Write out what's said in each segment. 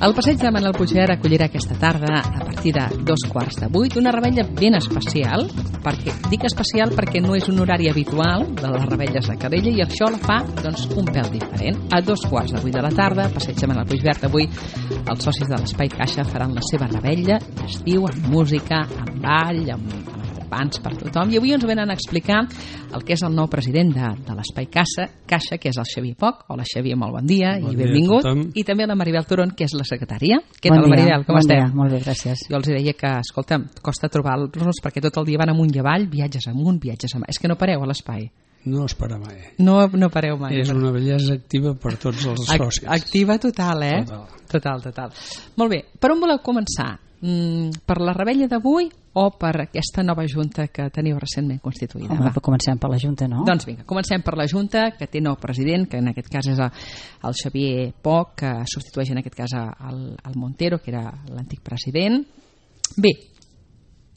El passeig de Manel Puigvert acollirà aquesta tarda, a partir de 7:15, una revetlla ben especial, dic especial perquè no és un horari habitual de les revetlles de Calella i això la fa un pèl diferent. A 7:15 de la tarda, passeig de Manel Puigvert, avui els socis de l'Espai Caixa faran la seva revetlla d'estiu amb música, amb ball, amb pans per tothom, i avui ens venen a explicar el que és el nou president de l'Espai Caixa, que és el Xavier Poch. Hola Xavier, molt bon dia i benvingut. I també la Maribel Turon, que és la secretària. Què tal, Maribel? Com esteu? Molt bé, gràcies. Jo els deia que, escolta, costa trobar-los perquè tot el dia van amunt i avall, viatges amunt, viatges amunt. És que no pareu a l'Espai. No es para mai. No pareu mai. És una bellesa activa per tots els socis. Activa total, eh? Total. Molt bé, per on voleu començar? Per la revetlla d'avui o per aquesta nova junta que teniu recentment constituïda? Comencem per la junta, no? Doncs vinga, comencem per la junta, que té nou president, que en aquest cas és el Xavier Poch, que substitueix en aquest cas el Montero, que era l'antic president. Bé,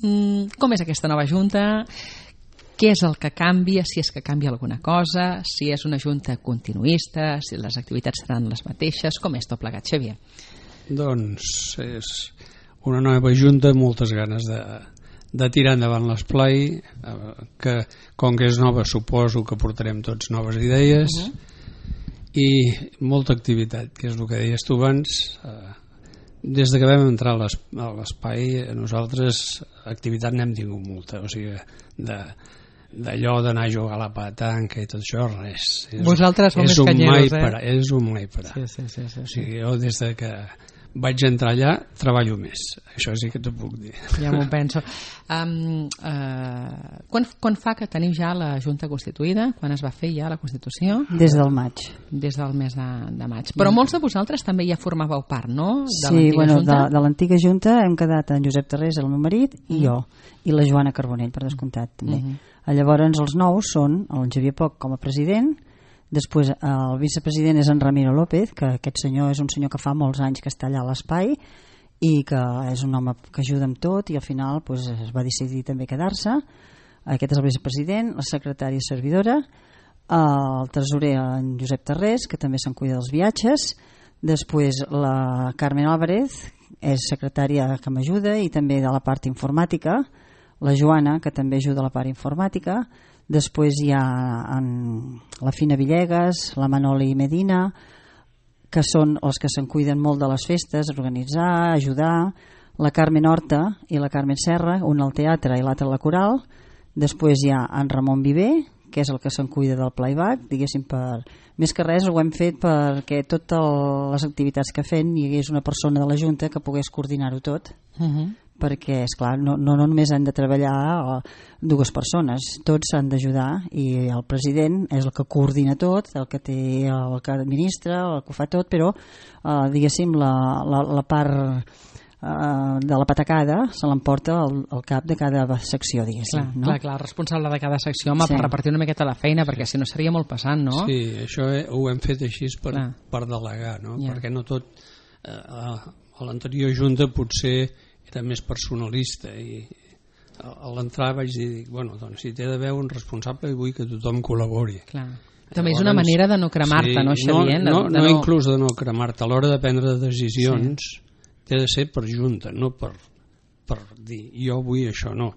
com és aquesta nova junta? Què és el que canvia, si és que canvia alguna cosa, si és una junta continuista, si les activitats seran les mateixes, com és tot plegat, Xavier? Doncs és una nova junta amb moltes ganes de tirar endavant l'esplai, que com que és nova suposo que portarem tots noves idees i molta activitat, que és el que deies tu abans. Des que vam entrar a l'espai nosaltres activitat n'hem tingut molta, o sigui d'allò d'anar a jugar a la petanca i tot això, res. Vosaltres som més canyeros, És un mai parar. Sí. O sigui, jo des que vaig entrar allà treballo més, això sí que t'ho puc dir. Ja m'ho penso. Quan fa que teniu ja la Junta constituïda? Quan es va fer ja la Constitució? Des del maig. Des del mes de maig. Però molts de vosaltres també ja formàveu part, no? Sí, de l'antiga Junta hem quedat en Josep Tarrés, el meu marit, i jo, i la Joana Carbonell, per descomptat, també. Llavors els nous són el Xavier Poch com a president. Després el vicepresident és en Ramiro López, que aquest senyor és un senyor que fa molts anys que està allà a l'espai i que és un home que ajuda amb tot i al final es va decidir també quedar-se. Aquest és el vicepresident, la secretària servidora, el tresorer en Josep Tarrés, que també se'n cuida dels viatges. Després la Carmen Álvarez és secretària que m'ajuda i també de la part informàtica, la Joana, que també ajuda a la part informàtica. Després hi ha la Fina Villegas, la Manoli Medina, que són els que se'n cuiden molt de les festes, organitzar, ajudar, la Carmen Horta i la Carmen Serra, una al teatre i l'altra a la coral. Després hi ha en Ramon Viver, que és el que se'n cuida del playback, diguéssim, més que res ho hem fet perquè totes les activitats que fem hi hagués una persona de la Junta que pogués coordinar-ho tot. Perquè, esclar, no només han de treballar dues persones, tots s'han d'ajudar i el president és el que coordina tot, el que administra, el que ho fa tot, però diguéssim la part de la patacada se l'emporta el cap de cada secció, diguéssim. Clar, el responsable de cada secció per repartir una miqueta la feina, perquè si no seria molt pesant, no? Sí, això ho hem fet així per delegar, no? Perquè no tot a l'anterior junta potser era més personalista i a l'entrar vaig dir, doncs si té d'haver un responsable vull que tothom col·labori. També és una manera de no cremar-te, no, Xavier? No inclús de no cremar-te, a l'hora de prendre decisions té de ser per junta, no per dir jo vull això, no.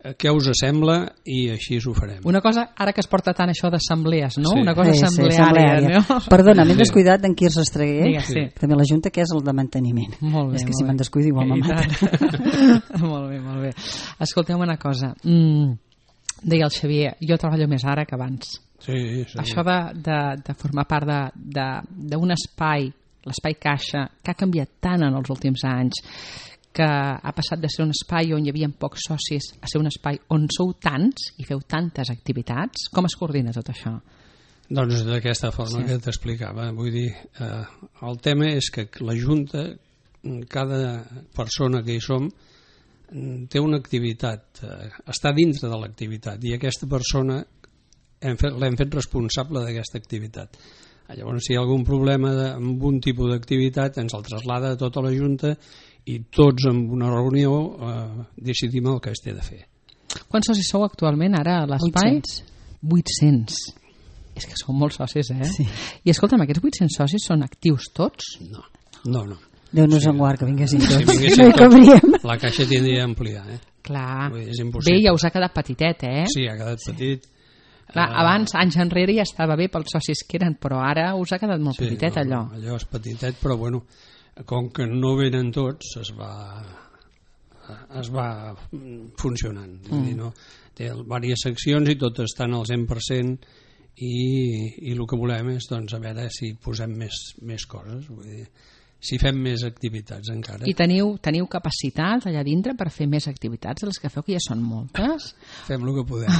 Què us sembla i així ho farem. Una cosa, ara que es porta tant això d'assemblees, no? Una cosa assembleària, no? Perdona, m'he descuidat d'en Quirze Estreguer, també la Junta, que és el de manteniment. És que si me'n descuido igual me mata. Molt bé. Escolteu una cosa, deia el Xavier, jo treballo més ara que abans. Això de formar part d'un espai, l'Espai Caixa, que ha canviat tant en els últims anys, que ha passat de ser un espai on hi havia pocs socis a ser un espai on sou tants i feu tantes activitats. Com es coordina tot això? Doncs d'aquesta forma que t'explicava. Vull dir, el tema és que la Junta, cada persona que hi som, té una activitat, està dintre de l'activitat i aquesta persona l'hem fet responsable d'aquesta activitat. Llavors, si hi ha algun problema amb un tipus d'activitat, ens el traslada a tota la Junta i tots en una reunió decidim el que es té de fer. Quants socis sou actualment ara a l'espai? 800. És que sou molts socis, eh? Sí. I escolta'm, aquests 800 socis són actius tots? No. Déu-nos en guard que vinguessin tots. Si vinguessin no hi cabríem. La caixa tindria d'ampliar, Clar. És Bé, impossible. ja us ha quedat petitet, Sí, ha quedat petit. Clar, abans, anys enrere, ja estava bé pels socis que eren, però ara us ha quedat molt petitet, allò. Allò és petitet, però bueno, com que no venen tots, es va funcionant. Vull dir, no? Té diverses seccions i totes estan al 100%, i el que volem és, doncs, a veure si posem més coses, vull dir, si fem més activitats encara. I teniu capacitat allà dintre per fer més activitats de les que feu, que ja són moltes? Fem el que podem.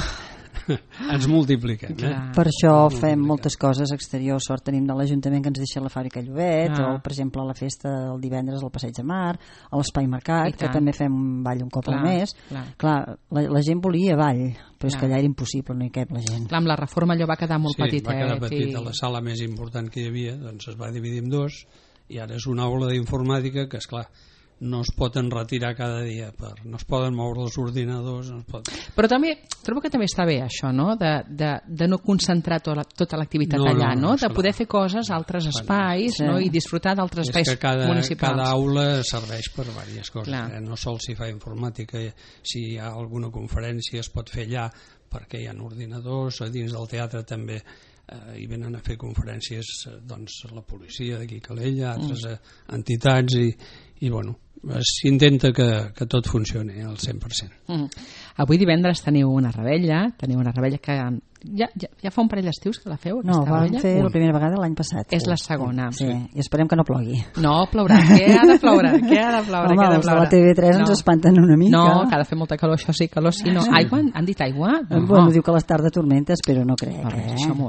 Ens multipliquem. Per això fem moltes coses exteriors. Sort tenim de l'Ajuntament que ens deixa la fàbrica Llobet, o per exemple la festa el divendres al Passeig de Mar, a l'Espai Mercat, que també fem un ball un cop al mes. Clar, la gent volia ball, però és que allà era impossible, no hi cap la gent. Clar, amb la reforma allò va quedar molt petitet. Sí, va quedar petit. La sala més important que hi havia doncs es va dividir en dos, i ara és una aula d'informàtica que, esclar, no es pot enretirar cada dia, no es poden moure els ordinadors, no es pot... Però també, trobo que també està bé això, no? De no concentrar tota l'activitat allà, no? De poder fer coses a altres espais, no? I disfrutar d'altres espais municipals. És que cada aula serveix per diverses coses, no sols si fa informàtica, si hi ha alguna conferència es pot fer allà, perquè hi ha ordinadors, a dins del teatre també hi venen a fer conferències doncs la policia d'aquí Calella, altres entitats, i bueno, s'intenta que tot funcioni al 100%. Avui divendres teniu una revetlla que ja fa un parell d'estius que la feu, aquesta revetlla? No, vam fer la primera vegada l'any passat. És la segona. Sí, i esperem que no plogui. No, plourà, què ha de ploure? Home, els de la TV3 ens espanten una mica. No, que ha de fer molta calor, això sí, calor sí, no. Aigua? Han dit aigua? Bueno, diu que a les tardes tormentes, però no crec,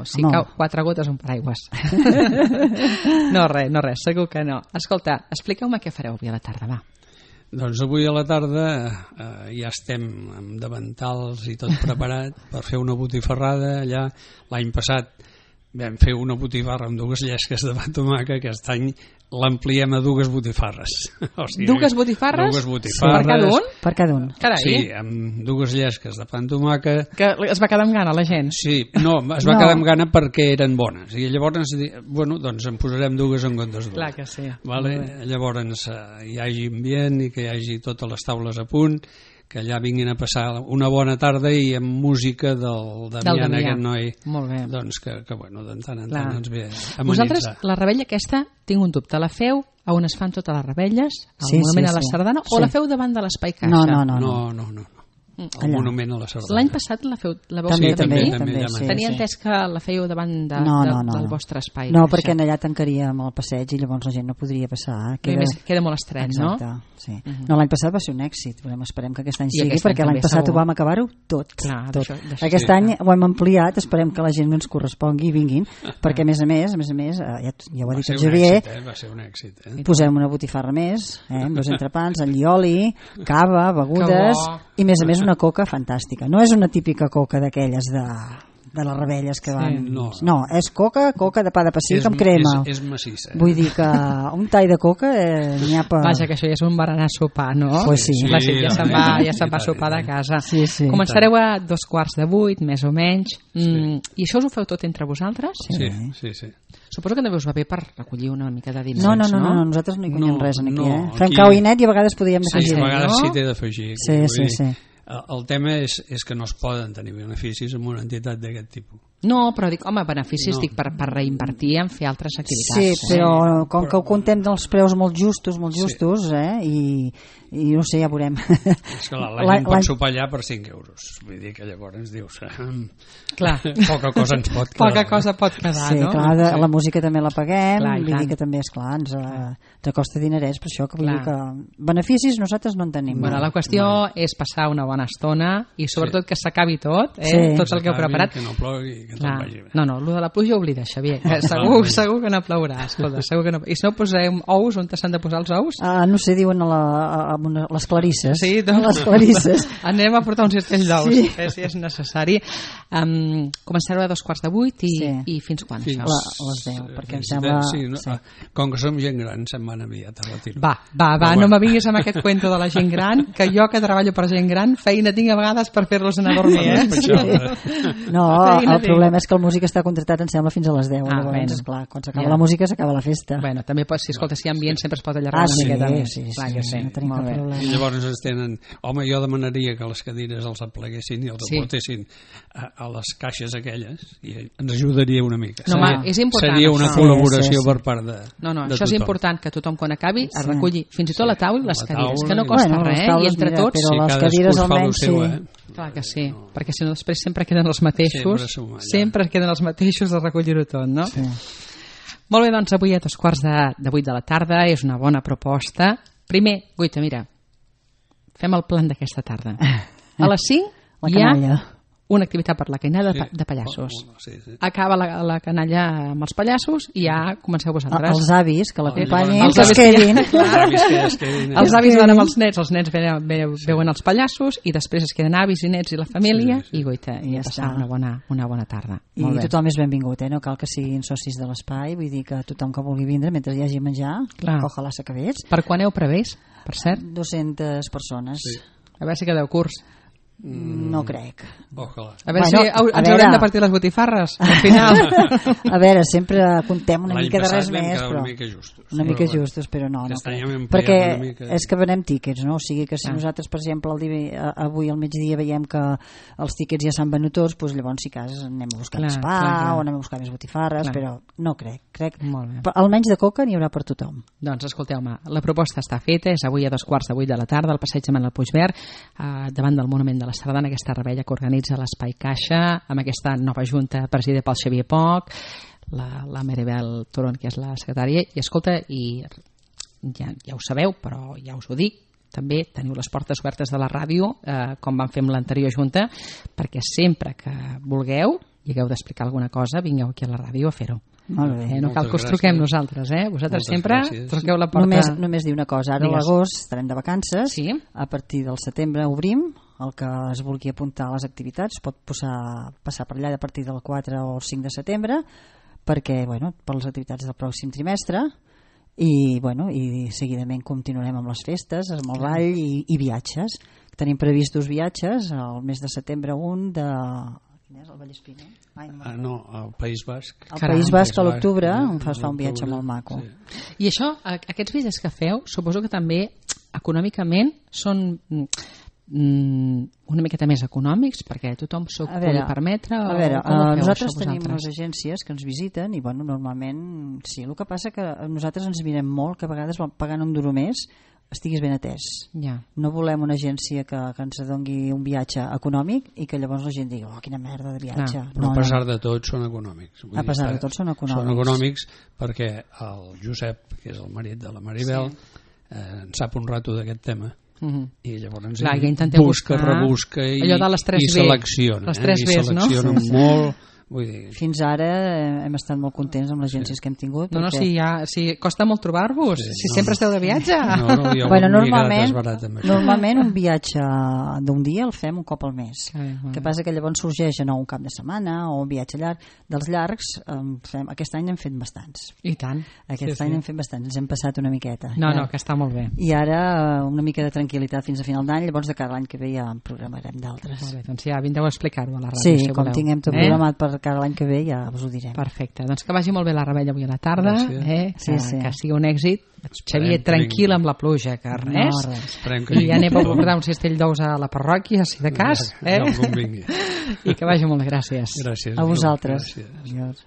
Si cau 4 gotes, un paraigües. No, res, segur que no. Escolta, expliqueu-me què fareu avui a la tarda, va. Doncs avui a la tarda ja estem amb davantals i tot preparat per fer una botifarrada allà. L'any passat vam fer una botifarra amb 2 llesques de pa amb tomàquet, aquest any l'ampliem a 2 botifarres. O sigui, 2 botifarres? 2 botifarres. Per cada un? Carai. Sí, amb 2 llesques de pa amb tomàquet. Que es va quedar amb gana la gent? Sí, no, es va quedar amb gana perquè eren bones. I llavors, bueno, doncs en posarem 2 en comptes d'1. Clar que sí. Vale? Llavors hi hagi ambient i que hi hagi totes les taules a punt, que allà vinguin a passar una bona tarda i amb música del Damià, aquest noi. Molt bé. Doncs que bueno, de tant en tant ens ve a amenitzar. Vosaltres, la revetlla aquesta, tinc un dubte, la feu a on es fan totes les revetlles, al Monument a la Sardana, o la feu davant de l'Espai Caixa? No. El Monument a la Sardana. L'any passat la veu també, fer també, Tenia entès que la fèieu davant del vostre espai. No, perquè allà tancaríem el passeig i llavors la gent no podria passar. Queda molt estret, no? Sí. No, l'any passat va ser un èxit. Esperem que aquest any sigui, perquè l'any passat ho vam acabar-ho tot. Aquest any ho hem ampliat, esperem que la gent ens correspongui i vinguin, perquè a més a més, ja ho ha dit el Xavier, va ser un èxit. Posem una botifarra més, amb 2 entrepans, allioli, cava, begudes, i a més una coca fantàstica. No és una típica coca d'aquelles de les revetlles que van... No, és coca de pa de pessic amb crema. És massissa. Vull dir que un tall de coca n'hi ha per... Vaja, que això ja és un berenar sopar, no? Pues sí. La gent ja se'n va a sopar de casa. Sí. Començareu a 7:15, més o menys. I això us ho feu tot entre vosaltres? Sí. Suposo que també us va bé per recollir una mica de diners, no? No, nosaltres no hi guanyem res aquí, Fem cau i net i a vegades podríem afegir. Sí, a vegades sí té d'afegir. Sí. El tema és que no es poden tenir beneficis amb una entitat d'aquest tipus. No, però dic, home, beneficis dic per reinvertir en fer altres activitats. Sí, però com que ho contem dels preus molt justos, i no sé, ja veurem. És que la gent pot sopar allà per 5 euros. Vull dir que llavors ens dius clar, poca cosa ens pot quedar. Poca cosa pot quedar, no? Sí, clar, la música també la paguem, vull dir que també, esclar, ens costa dinerets, per això que vull dir que beneficis nosaltres no en tenim. Bueno, la qüestió és passar una bona estona i sobretot que s'acabi tot, tot el que heu preparat. Que no plogui, que tot vagi bé. No, el de la pluja oblida, Xavier, que segur que no plourà, escolta, segur que no. I si no posem ous, on s'han de posar els ous? No sé, diuen les clarisses. Sí, doncs les clarisses. Anem a portar un cistell d'ous, si és necessari. Començareu a 7:15 i fins quan? A les 10, perquè em sembla... Com que som gent gran, se'n van aviat a retirar. Va, no me vinguis amb aquest cuento de la gent gran, que jo que treballo per gent gran, feina tinc a vegades per fer-los anar a dormir, No, el problema problema és que el músic està contractat, em sembla, fins a les 10. Llavors, esclar, quan s'acaba la música s'acaba la festa. Bueno, també si escolta, si hi ha ambient sempre es pot allargar una miqueta més. Sí, no tenim cap problema. I llavors ens tenen... Home, jo demanaria que les cadires els apleguessin i els aportessin a les caixes aquelles i ens ajudaria una mica. És important. Seria una col·laboració per part de això és important, que tothom quan acabi es reculli fins i tot la taula i les cadires, que no costa res, i entre tots... Però les cadires almenys sí. Clar que sí, perquè si no després sempre queden els mateixos, sempre queden els mateixos de recollir-ho tot, no? Sí. Molt bé, doncs avui a 7:45 de la tarda és una bona proposta. Primer, Guita, mira, fem el plan d'aquesta tarda. A les 5 hi ha una activitat per la canalla de pallassos. Acaba la canalla amb els pallassos i ja comenceu vosaltres. Els avis que l'acompanyin, que es quedin. Els avis van amb els nens veuen els pallassos i després es queden avis i nets i la família i Guita, i passar una bona tarda. I tothom és benvingut, no cal que siguin socis de l'espai, vull dir que tothom que vulgui vindre mentre hi hagi menjar, ojalà s'acabés. Per quan heu previst, per cert? 200 persones. A veure si quedeu curts. No crec. Ojalà. A veure si ens haurem de partir les botifarres al final. A veure, sempre contem una mica de res més, però una mica justos, però no perquè és que venem tíquets, no? O sigui que si nosaltres, per exemple, avui al migdia veiem que els tíquets ja s'han venut tots, doncs llavors si cas anem a buscar més pa o anem a buscar més botifarres, però no crec almenys de coca n'hi haurà per tothom. Doncs escolteu-me, la proposta està feta, és avui a 7:45 de la tarda al passeig de Manuel Puigverd, davant del Monument de la Sardana, aquesta revetlla que organitza l'Espai Caixa amb aquesta nova junta presidida pel Xavier Poch, la Maribel Turon, que és la secretària, i escolta, i ja ho sabeu, però ja us ho dic, també teniu les portes obertes de la ràdio, com vam fer amb l'anterior junta, perquè sempre que vulgueu i hagueu d'explicar alguna cosa, vingueu aquí a la ràdio a fer-ho. Molt bé. No cal que us truquem nosaltres, vosaltres sempre truqueu la porta. Només dir una cosa, ara a l'agost estarem de vacances, a partir del setembre obrim, el que es vulgui apuntar a les activitats pot passar per allà a partir del 4 o 5 de setembre perquè, per les activitats del pròxim trimestre i seguidament continuarem amb les festes, amb el ball i viatges. Tenim previstos viatges al mes de setembre el Vallespí, no, al País Basc. Al País Basc a l'octubre fa un viatge molt maco. I això, aquests viatges que feu, suposo que també econòmicament són una miqueta més econòmics perquè tothom s'ho pugui permetre. A veure, nosaltres tenim les agències que ens visiten i normalment sí, el que passa que nosaltres ens mirem molt que a vegades pagant un duro més estiguis ben atès. No volem una agència que ens doni un viatge econòmic i que llavors la gent digui quina merda de viatge. Però a pesar de tot són econòmics. A pesar de tot són econòmics. Són econòmics perquè el Josep, que és el marit de la Maribel, en sap un rato d'aquest tema i llavors busca, rebusca i selecciona. I selecciona molt. Fins ara hem estat molt contents amb les agències que hem tingut. Si costa molt trobar-vos, si sempre esteu de viatge. Normalment un viatge d'un dia el fem un cop al mes. El que passa que llavors sorgeix un cap de setmana o un viatge llarg. Dels llargs, aquest any hem fet bastants. I tant. Aquest any hem fet bastants, ens hem passat una miqueta. No, que està molt bé. I ara una mica de tranquil·litat fins a final d'any, llavors de cada any que ve ja en programarem d'altres. Molt bé, doncs ja vindreu a explicar-ho a la ràdio. Sí, com tinguem tot programat per cada l'any que ve ja us ho direm. Perfecte, doncs que vagi molt bé la revetlla avui a la tarda, que sigui un èxit. Xavier, tranquil amb la pluja, que res. I ja anem a portar un cistell d'ous a la parròquia, si de cas. I que vagi molt bé, gràcies. Gràcies. A vosaltres. Adiós.